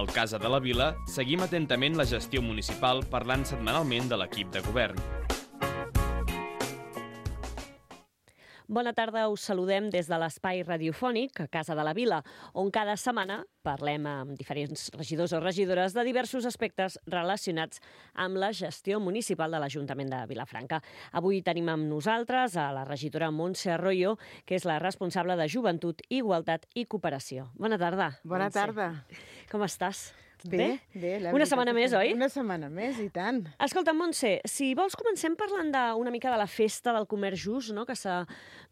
Al Casa de la Vila seguim atentament la gestió municipal parlant setmanalment de l'equip de govern. Bona tarda, us saludem des de l'espai radiofònic a Casa de la Vila, on cada setmana parlem amb diferents regidors o regidores de diversos aspectes relacionats amb la gestió municipal de l'Ajuntament de Vilafranca. Avui tenim amb nosaltres a la regidora Montse Arroyo, que és la responsable de Joventut, Igualtat i Cooperació. Bona tarda. Bona tarda. Com estàs? Bé. Una setmana més, oi? Una setmana més, i tant. Escolta, Montse, si vols comencem parlant una mica de la festa del comerç just, no?, que s'ha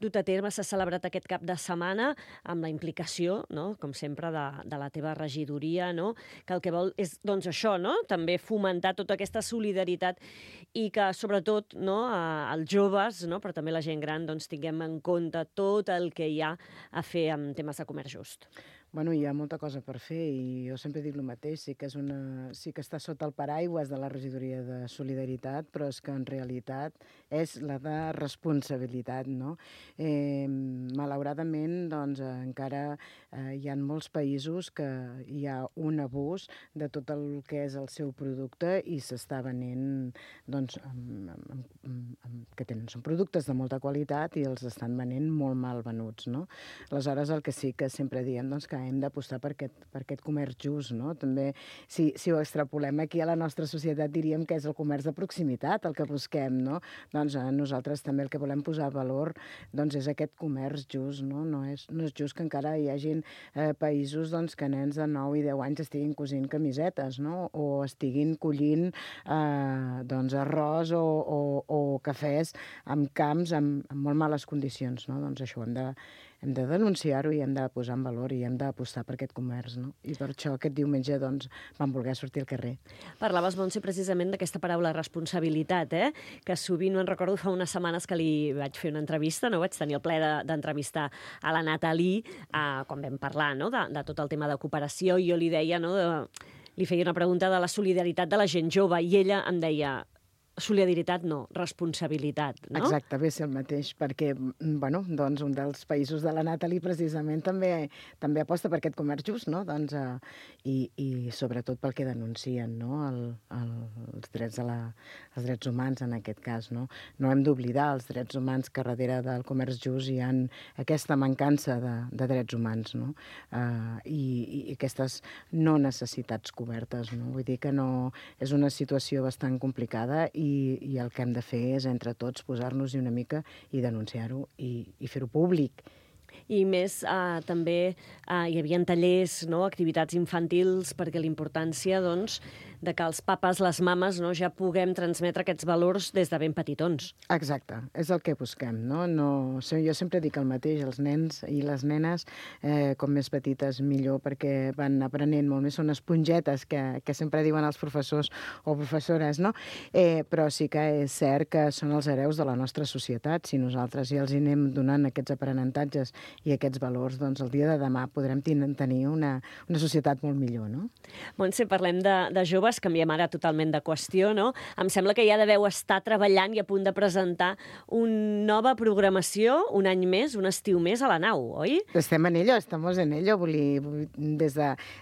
dut a terme, s'ha celebrat aquest cap de setmana, amb la implicació, no?, com sempre, de la teva regidoria, no?, que el que vol és, doncs, això, no?, també fomentar tota aquesta solidaritat i que, sobretot, no?, els joves, no?, però també la gent gran, doncs, tinguem en compte tot el que hi ha a fer amb temes de comerç just. Bueno, hi ha molta cosa per fer i jo sempre dic el mateix, sí que està sota el paraigües de la regidoria de solidaritat, però és que en realitat és la de responsabilitat, no? Malauradament, doncs, encara hi ha molts països que hi ha un abús de tot el que és el seu producte i s'està venent, doncs, són productes de molta qualitat i els estan venent molt mal venuts, no? Aleshores, el que sí que sempre diem, doncs, que hem d'apostar per aquest comerç just, no? També, si ho extrapolem aquí a la nostra societat, diríem que és el comerç de proximitat el que busquem, no? Doncs nosaltres també el que volem posar valor doncs, és aquest comerç just, no? No és just que encara hi hagin països doncs, que nens de 9 i 10 anys estiguin cosint camisetes, no? O estiguin collint doncs, arròs o cafès en camps amb molt males condicions, no? Doncs això hem de denunciar-ho i hem de posar en valor i hem d'apostar per aquest comerç, no? I per això aquest diumenge doncs, vam voler sortir al carrer. Parlaves, Montse, precisament d'aquesta paraula responsabilitat, que sovint, no en recordo, fa unes setmanes que li vaig fer una entrevista, no? Vaig tenir el plaer d'entrevistar a la Nathalie quan vam parlar, no?, de tot el tema de cooperació, i jo li deia, no?, li feia una pregunta de la solidaritat de la gent jove i ella em deia: solidaritat no, responsabilitat, no? Exacte, ve ser el mateix, perquè, bueno, doncs un dels països de la Nathalie precisament també aposta per aquest comerç just, no? Doncs, i sobretot pel que denuncien, no? Els drets humans, en aquest cas, no? No hem d'oblidar els drets humans, que darrere del comerç just hi ha aquesta mancança de drets humans, no? I aquestes no necessitats cobertes, no? Vull dir que no, és una situació bastant complicada i el que hem de fer és, entre tots, posar-nos-hi una mica i denunciar-ho i fer-ho públic. I més, també hi havia tallers, no?, activitats infantils, perquè la importància, doncs, de que els papes, les mames, no?, ja puguem transmetre aquests valors des de ben petitons. Exacte, és el que busquem, no? Jo sempre dic el mateix, els nens i les nenes, com més petites millor, perquè van aprenent molt més, són espongetes que sempre diuen els professors o professores, no? Però sí que és cert que són els hereus de la nostra societat. Si nosaltres ja els hi anem donant aquests aprenentatges i aquests valors, doncs el dia de demà podrem tenir una societat molt millor, no? Montse, parlem de joves, canviem ara totalment de qüestió, no? Em sembla que ja deveu estar treballant i a punt de presentar una nova programació, un any més, un estiu més a la nau, oi? Estem en ello, estamos en ello.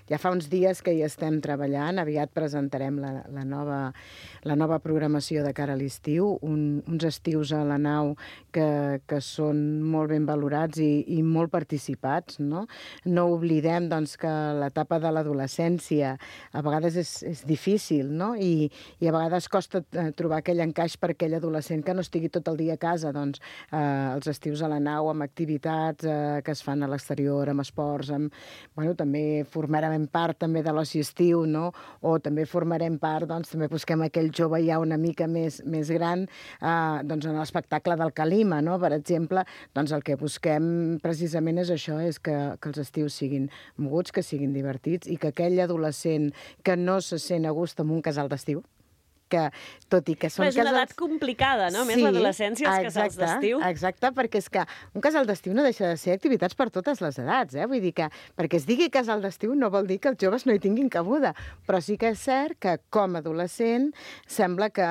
Ja fa uns dies que hi estem treballant, aviat presentarem la nova programació de cara a l'estiu, uns estius a la nau que són molt ben valorats i molt participats, no? No oblidem, doncs, que l'etapa de l'adolescència a vegades és difícil, no? I a vegades costa trobar aquell encaix per aquell adolescent que no estigui tot el dia a casa. Doncs els estius a la nau amb activitats que es fan a l'exterior, amb esports, també formarem part també de l'oci estiu, no? O també formarem part, doncs també busquem aquell jove ja una mica més gran, doncs en l'espectacle del Calima, no? Per exemple, doncs el que busquem precisament és això, és que els estius siguin moguts, que siguin divertits i que aquell adolescent que no se sent a gust en un casal d'estiu, que, tot i que són és una casals... edat complicada, no? Més l'adolescència, els casals d'estiu. Exacte, perquè és que un casal d'estiu no deixa de ser activitats per totes les edats, Vull dir que perquè es digui casal d'estiu no vol dir que els joves no hi tinguin cabuda, però sí que és cert que com a adolescent sembla que,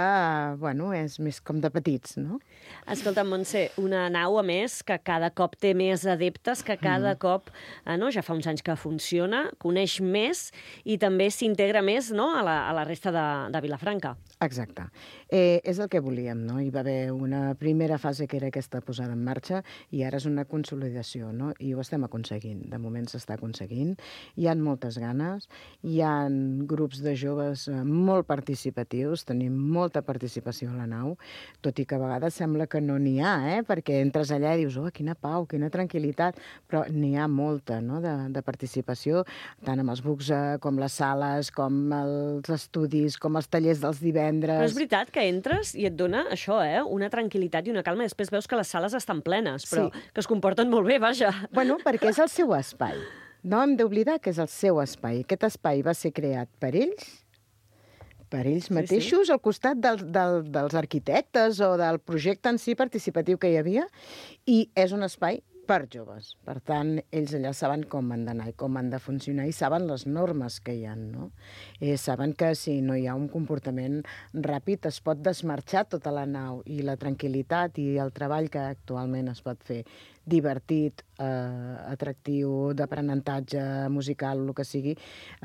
bueno, és més com de petits, no? Escolta'm, Montse, una nau, a més, que cada cop té més adeptes, que cada cop, no, ja fa uns anys que funciona, coneix més i també s'integra més, no, a la resta de Vilafranca. Exacte. És el que volíem, no? Hi va haver una primera fase que era aquesta posada en marxa i ara és una consolidació, no? I ho estem aconseguint. De moment s'està aconseguint. Hi ha moltes ganes, hi ha grups de joves molt participatius, tenim molta participació a la nau, tot i que a vegades sembla que no n'hi ha, perquè entres allà i dius, quina pau, quina tranquil·litat, però n'hi ha molta, no?, de participació, tant amb els bucs com les sales, com els estudis, com els tallers dels divendres. Però és veritat que entres i et dona això, una tranquil·litat i una calma, i després veus que les sales estan plenes, però que es comporten molt bé, vaja. Bueno, perquè és el seu espai. No hem d'oblidar que és el seu espai. Aquest espai va ser creat per ells mateixos, al costat dels arquitectes o del projecte en si participatiu que hi havia, i és un espai per joves. Per tant, ells allà saben com han d'anar i com han de funcionar i saben les normes que hi ha, no? Saben que si no hi ha un comportament ràpid es pot desmarxar tota la nau i la tranquil·litat i el treball que actualment es pot fer divertit, atractiu, d'aprenentatge musical, el que sigui,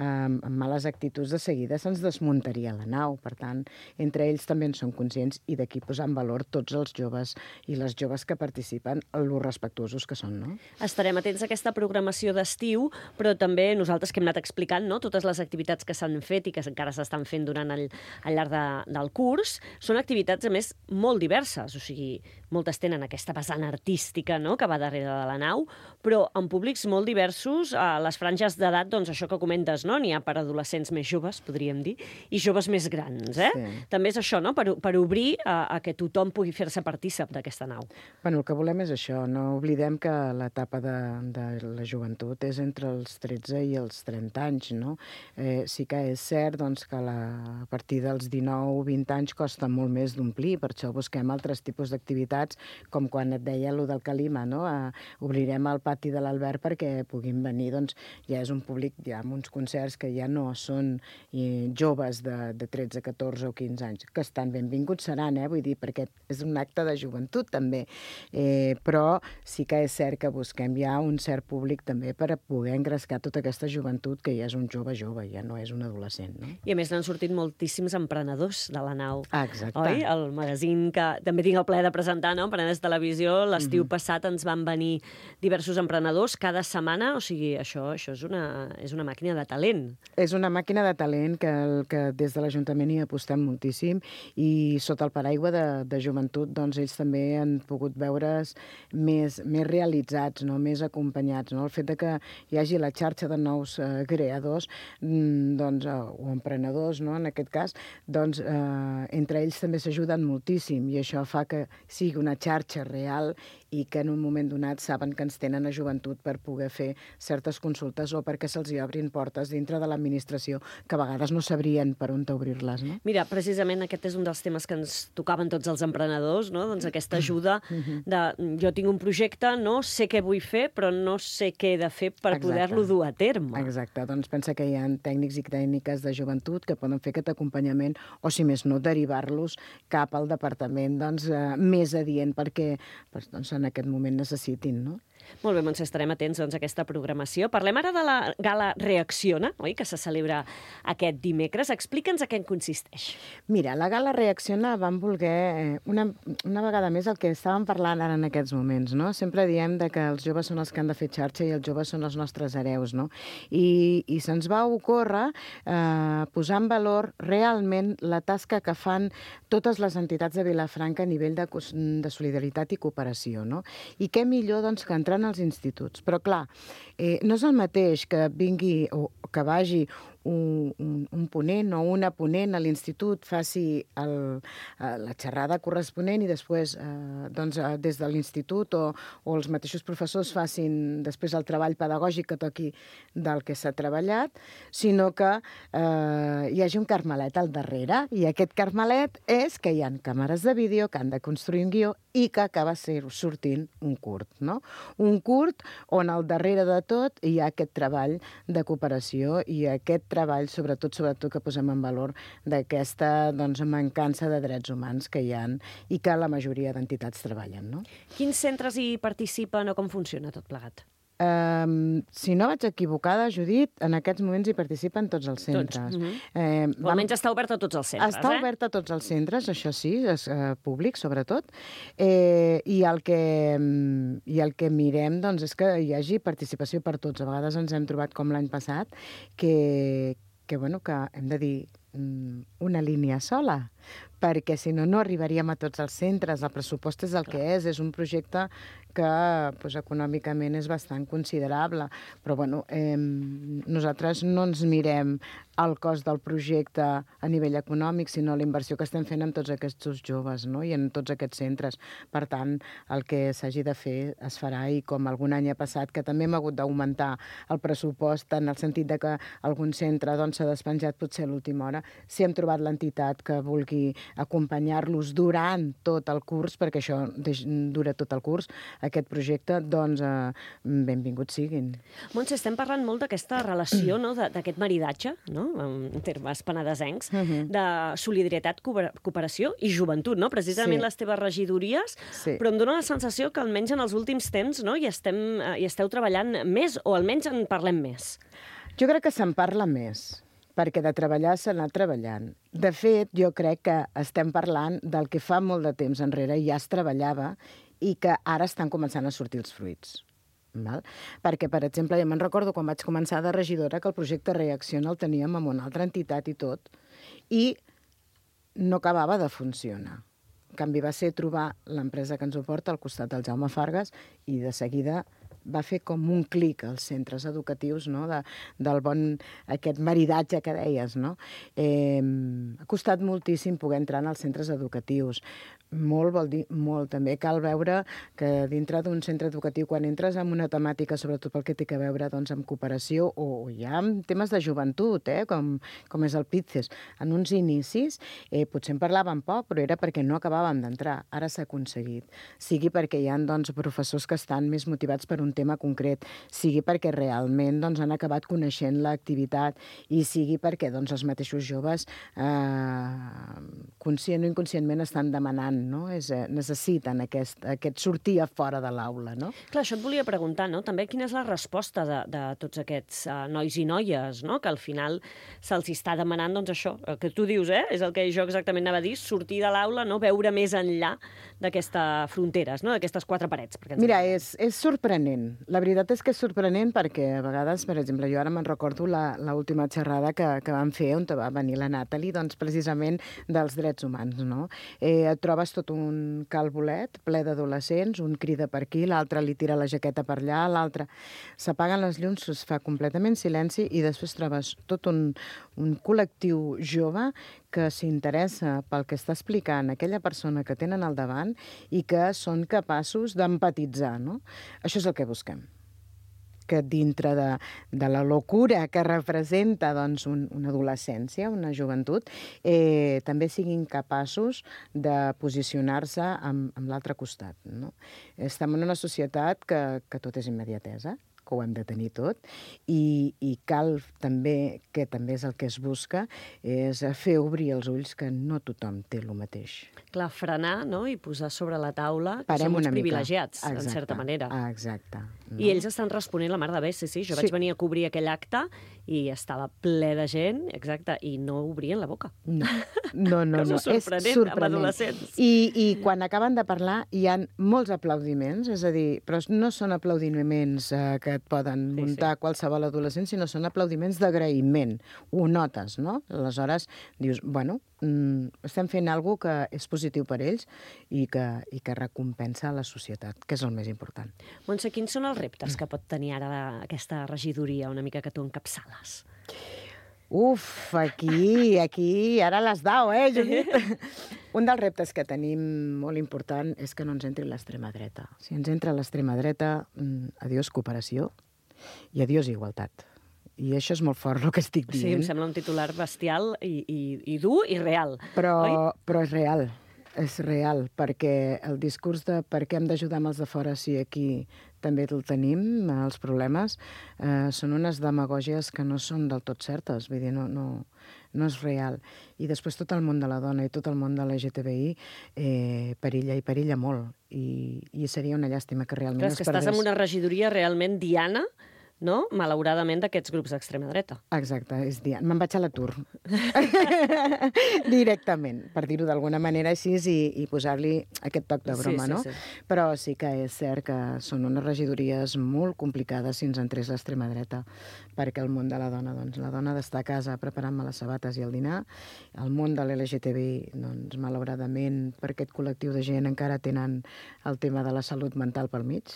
amb males actituds de seguida se'ns desmuntaria la nau. Per tant, entre ells també en són conscients i d'aquí posar en valor tots els joves i les joves que participen, lo respectuosos que són, no? Estarem atents a aquesta programació d'estiu, però també nosaltres que hem anat explicant, no?, totes les activitats que s'han fet i que encara s'estan fent durant al llarg del curs, són activitats, a més, molt diverses. O sigui, moltes tenen aquesta vessant artística, no?, que va darrere de la nau, però en públics molt diversos, a les franges d'edat, doncs això que comentes, no?, n'hi ha per adolescents més joves, podríem dir, i joves més grans, Sí. També és això, no?, per obrir a que tothom pugui fer-se partícip d'aquesta nau. Bueno, el que volem és això, no oblidem que l'etapa de la joventut és entre els 13 i els 30 anys, no? Sí que és cert, doncs, que a partir dels 19-20 anys costa molt més d'omplir, per això busquem altres tipus d'activitats, com quan et deia allò del Calima, no? Obrirem el pati de l'Albert perquè puguin venir, doncs ja és un públic, ja amb uns concerts que ja no són joves de 13, 14 o 15 anys, que estan benvinguts seran, vull dir, perquè és un acte de joventut també, però sí que és cert que busquem ja un cert públic també per a poder engrescar tota aquesta joventut que ja és un jove, ja no és un adolescent, no? I a més n'han sortit moltíssims emprenedors de la nau. Exacte. Oi? El magazín que també tinc el plaer de presentar, no?, Emprenedors Televisió, l'estiu passat ens van venir diversos emprenedors cada setmana, o sigui, això és una màquina de talent. És una màquina de talent que des de l'Ajuntament hi apostem moltíssim i sota el paraigua de joventut, doncs ells també han pogut veure's més realitzats, no?, més acompanyats, no? El fet de que hi hagi la xarxa de nous creadors, doncs, o emprenedors, no?, en aquest cas, doncs entre ells també s'ajuden moltíssim i això fa que sigui una xarxa real i que en un moment donat saben que ens tenen a joventut per poder fer certes consultes o perquè se'ls hi obrin portes dintre de l'administració que a vegades no sabrien per on obrir-les, no? Mira, precisament aquest és un dels temes que ens tocaven tots els emprenedors, no? Doncs aquesta ajuda de jo tinc un projecte, no sé què vull fer, però no sé què he de fer per poder-lo dur a terme. Exacte, doncs pensa que hi ha tècnics i tècniques de joventut que poden fer aquest acompanyament o, si més no, derivar-los cap al departament més adient perquè en aquest moment necessitin, no? Molt bé, Montse, estarem atents a aquesta programació. Parlem ara de la gala Reacciona, oi?, que se celebra aquest dimecres. Explica'ns a què en consisteix. Mira, la gala Reacciona vam voler, una vegada més, el que estàvem parlant ara en aquests moments, no? Sempre diem que els joves són els que han de fer xarxa i els joves són els nostres hereus, no? I se'ns va ocórrer posar en valor realment la tasca que fan totes les entitats de Vilafranca a nivell de solidaritat i cooperació, no? I què millor, doncs, que entrar als instituts. Però, clar, no és el mateix que vingui o que vagi un ponent o una ponent a l'institut faci la xerrada corresponent i després des de l'institut o els mateixos professors facin després el treball pedagògic que toqui del que s'ha treballat, sinó que hi hagi un carmelet al darrere, i aquest carmelet és que hi ha càmeres de vídeo que han de construir un guió i que acaba sortint un curt, no? Un curt on al darrere de tot hi ha aquest treball de cooperació i aquest treball, sobretot que posem en valor d'aquesta mancança de drets humans que hi ha i que la majoria d'entitats treballen, no? Quins centres hi participen o com funciona tot plegat? Si no vaig equivocada, Judit, en aquests moments hi participen tots els centres. O almenys està obert a tots els centres, Està obert a tots els centres, això sí, és públic, sobretot. I el que mirem és que hi hagi participació per tots. A vegades ens hem trobat, com l'any passat, que hem de dir una línia sola, perquè si no, no arribaríem a tots els centres. El pressupost és el que és un projecte que econòmicament és bastant considerable, però nosaltres no ens mirem el cost del projecte a nivell econòmic, sinó la inversió que estem fent en tots aquests joves, no? I en tots aquests centres. Per tant, el que s'hagi de fer es farà, i com algun any ha passat, que també hem hagut d'augmentar el pressupost en el sentit de que algun centre s'ha despenjat potser a l'última hora, si hem trobat l'entitat que vulgui acompanyar-los durant tot el curs, perquè això dura tot el curs, aquest projecte, benvinguts siguin. Montse, estem parlant molt d'aquesta relació, no? D'aquest maridatge, no? En termes penedesencs, de solidaritat, cooperació i joventut, no? Precisament les teves regidories, però em dóna la sensació que almenys en els últims temps hi esteu treballant més, o almenys en parlem més. Jo crec que se'n parla més, perquè de treballar s'ha anat treballant. De fet, jo crec que estem parlant del que fa molt de temps enrere ja es treballava i que ara estan començant a sortir els fruits. Perquè, per exemple, ja me'n recordo quan vaig començar de regidora que el projecte Reacciona el teníem amb una altra entitat i tot, i no acabava de funcionar. En canvi, va ser trobar l'empresa que ens ho porta al costat del Jaume Fargas i de seguida va fer com un clic als centres educatius, no? Del bon aquest maridatge que deies, no? Ha costat moltíssim poder entrar en els centres educatius. Molt vol dir molt. També cal veure que dintre d'un centre educatiu, quan entres en una temàtica, sobretot pel que té a veure amb cooperació, o ja amb temes de joventut, com és el PITCES, en uns inicis potser en parlàvem poc, però era perquè no acabàvem d'entrar. Ara s'ha aconseguit. Sigui perquè hi ha professors que estan més motivats per un tema concret, sigui perquè realment han acabat coneixent l'activitat, i sigui perquè els mateixos joves conscient o inconscientment estan demanant, necessiten aquest sortir a fora de l'aula, no? Clar, això et volia preguntar, no? També quina és la resposta de tots aquests nois i noies, no? Que al final se'ls està demanant, això, el que tu dius, és el que jo exactament anava a dir, sortir de l'aula, no? Veure més enllà d'aquestes fronteres, no? D'aquestes quatre parets. Mira, és sorprenent. La veritat és que és sorprenent perquè a vegades, per exemple, jo ara me'n recordo l'última xerrada que vam fer on va venir la Nathalie, precisament dels drets humans, no? Et trobes tot un calbolet ple d'adolescents, un crida per aquí, l'altre li tira la jaqueta per allà, l'altre s'apaguen les llums, es fa completament silenci, i després trobes tot un col·lectiu jove que s'interessa pel que està explicant aquella persona que tenen al davant i que són capaços d'empatitzar, no? Això és el que busquem. Que dintre de la locura que representa una adolescència, una joventut, també siguin capaços de posicionar-se amb l'altre costat, no? Estem en una societat que tot és immediatesa, que ho hem de tenir tot, i cal també, que també és el que es busca, és fer obrir els ulls que no tothom té el mateix. Clar, frenar, no?, i posar sobre la taula que som uns privilegiats, en certa manera. Exacte. I ells estan responent la mar de bé, sí. Jo vaig venir a cobrir aquell acte i estava ple de gent, exacte, i no obrien la boca. No. És sorprenent, amb adolescents. I quan acaben de parlar hi ha molts aplaudiments, és a dir, però no són aplaudiments que et poden muntar qualsevol adolescent, sinó són aplaudiments d'agraïment. Ho notes, no? Aleshores dius, estem fent alguna cosa que és positiu per ells i que recompensa la societat, que és el més important. Montse, quins són els reptes que pot tenir ara aquesta regidoria, una mica que tu encapçales? Uf, aquí, ara les dau, Judit? Un dels reptes que tenim molt important és que no ens entri l'extrema dreta. Si ens entra l'extrema dreta, adiós cooperació i adiós igualtat. I això és molt fort, el que estic dient. Sí, em sembla un titular bestial i dur i real. Però és real, perquè el discurs de per què hem d'ajudar amb els de fora si aquí també el tenim, els problemes, són unes demagògies que no són del tot certes, vull dir, no és real. I després tot el món de la dona i tot el món de l'LGTBI perilla molt, i seria una llàstima que realment es perdés. Estàs en una regidoria realment diana, no? Malauradament, d'aquests grups d'extrema dreta. Exacte, és diana. Me'n vaig a l'atur. Directament, per dir-ho d'alguna manera així i posar-li aquest toc de broma, no? Sí. Però sí que és cert que són unes regidories molt complicades si ens entrés l'extrema dreta, perquè el món de la dona, doncs, la dona d'estar a casa preparant-me les sabates i el dinar, el món de l'LGTBI, doncs, malauradament, per aquest col·lectiu de gent encara tenen el tema de la salut mental pel mig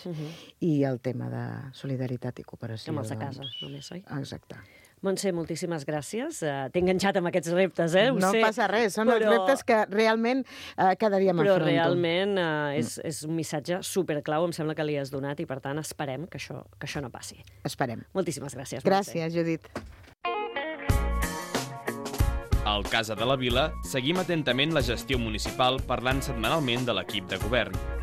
i el tema de solidaritat i cooperació. Com els de casa, només, oi? Exacte. Montse, moltíssimes gràcies. T'he enganxat amb aquests reptes, Ho sé. No passa res, són els reptes que realment cada dia m'afronto. Però realment és un missatge superclau, em sembla que li has donat, i per tant esperem que això no passi. Esperem. Moltíssimes gràcies, Montse. Gràcies, Judit. Al Casa de la Vila seguim atentament la gestió municipal parlant setmanalment de l'equip de govern.